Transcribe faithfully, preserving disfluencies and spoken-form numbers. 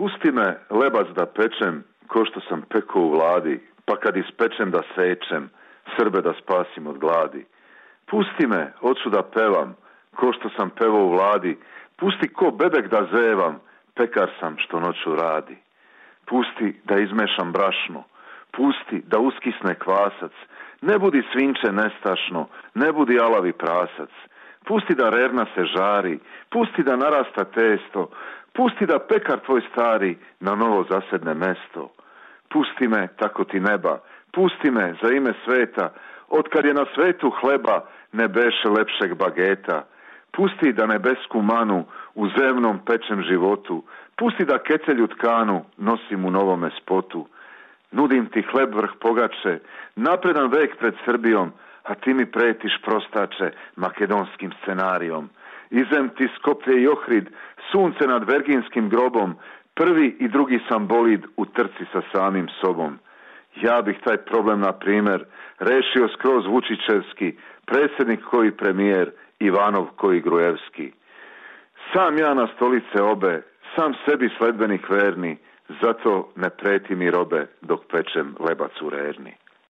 Pusti me lebac da pečem, ko što sam pekao u vladi, pa kad ispečem da sečem, Srbe da spasim od gladi. Pusti me, oću da pevam, ko što sam pevao u vladi, pusti ko bebek da zevam, pekar sam što noću radi. Pusti da izmešam brašno, pusti da uskisne kvasac, ne budi svinče nestašno, ne budi alavi prasac. Pusti da rerna se žari, pusti da narasta testo, pusti da pekar tvoj stari na novo zasedne mesto. Pusti me, tako ti neba, pusti me za ime sveta, otkad je na svetu hleba ne beše lepšeg bageta. Pusti da nebesku manu u zemnom pečem životu, pusti da kecelju tkanu nosim u novome spotu. Nudim ti hleb vrh pogače, napredan vek pred Srbijom, a ti mi pretiš prostače makedonskim scenarijom. Izem ti Skoplje i Ohrid, sunce nad verginskim grobom, prvi i drugi sam bolid u trci sa samim sobom. Ja bih taj problem, na primjer, rešio skroz Vučićevski, predsjednik koji premijer, Ivanov koji Grujevski. Sam ja na stolice obe, sam sebi sledbenik verni, zato ne preti mi robe dok pečem lebac u rerni.